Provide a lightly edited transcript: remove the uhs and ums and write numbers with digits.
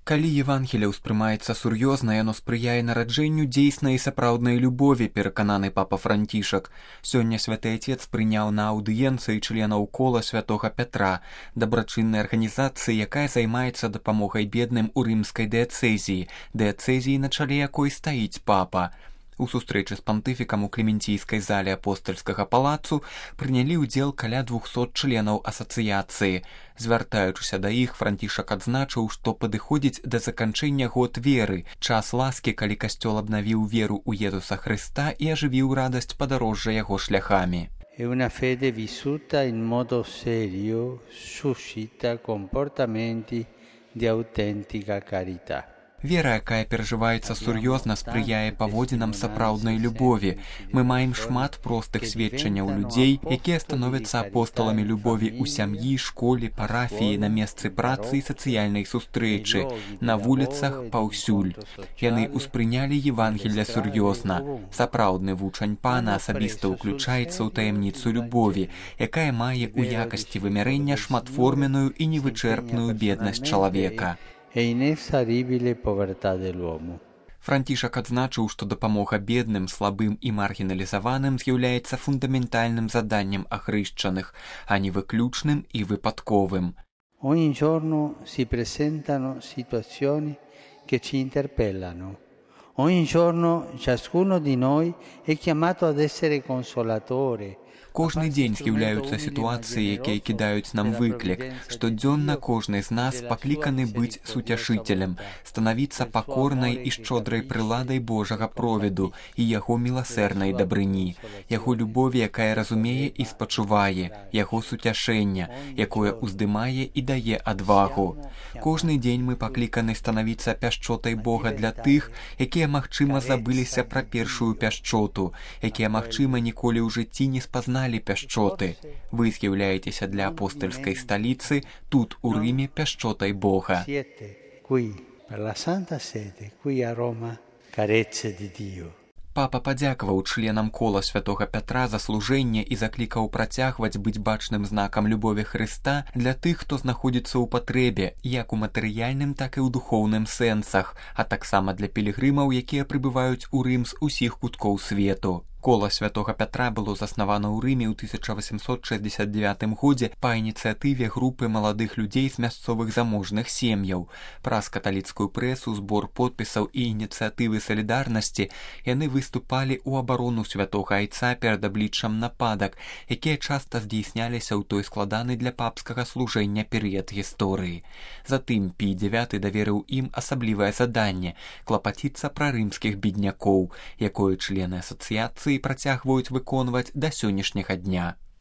Калі Евангелие ўспрымаецца сур'ёзна, яно спрыяе нараджэнню дзейснай і сапраўднай любові, перакананы папа Францішак. Сёння святы Отец прыняў на аўдыенцыі членаў кола святога Пятра, дабрачыннай арганізацыі, якая займаецца дапамогай бедным у рымскай дыяцэзіі, на чале якой стаіць папа. У сустрэчы з пантыфікам у Клементійскай зале апостальскага палацу прынялі ўдзел каля 200 членаў асацыяцыі. Звяртаючыся да іх, Францішак адзначыў, што падыходзіць да заканчэння год веры, час ласкі, калі касцёл абнавіў веру ў Езуса Хрыста і ажывіў радасць падарожжа яго шляхамі. E una fede vissuta in modo serio suscita comportamenti di autentica carità. Вера, якая перажываецца сур'ёзна, спрыяе паводзінам сапраўднай любові. Мы маем шмат простых сведчанняў людзей, якія становяцца апосталамі любові ў сям'і, школе, парафіі, на месцы працы і сацыяльнай сустрэчы, на вуліцах, паўсюль. Яны ўспрынялі Евангелле сур'ёзна. Сапраўдны вучань пана асабіста ўключаецца ў таямніцу любові, якая мае ў якасці вымярэння шматформенную і невычэрпную беднасць чалавека. Францішак адзначыў, што дапамога бедным, слабым і маргіналізаваным з'яўляецца фундаментальным заданнем ахрышчаных, а не выключным і выпадковым. Ogni giorno si presentano situazioni che ci interpellano. Ogni giorno ciascuno di noi è chiamato ad essere consolatore. Кожны дзень з'яўляюцца сітуацыі, якія кідаюць нам выклік. Штодзённа кожны з нас пакліканы быць суцяшыцелем, станавіцца пакорнай і шчодрай прыладай Божага провіду і яго міласэрнай дабрыні, яго любові, якая разумее і спачувае, яго суцяшэння, якое ўздымае і дае адвагу. Кожны дзень мы пакліканы станавіцца пяшчотай Бога для тых, якія, магчыма, забыліся пра першую пяшчоту, якія, магчыма, ніколі ў жыцці не спазналі пяшчоты. Вы з'яўляецеся для апостальскай сталіцы тут, у Рыме, пяшчотай Бога. Папа падзякаваў членам кола святога Пятра за служэнне і заклікаў працягваць быць бачным знакам любові Хрыста для тых, хто знаходзіцца ў патрэбе, як у матэрыяльным, так і ў духоўным сэнсах, а таксама для пілігрымаў, якія прыбываюць у Рым з усіх куткоў свету. Кола святога Пятра было заснавана ў Рыме ў 1869 годзе па ініцыятыве групы маладых людзей з мясцовых заможных сем'яў. Праз каталіцкую прэсу, збор подпісаў і ініцыятывы салідарнасці яны выступалі ў абарону святога айца перад абліччам нападак, якія часта здзейсняліся ў той складаны для папскага служэння перыяд гісторыі. Затым Пій IX даверыў ім асаблівае заданне клапаціцца пра рымскіх беднякоў, якое члены асацыяцыі працягваюць выконваць да сённяшняга дня.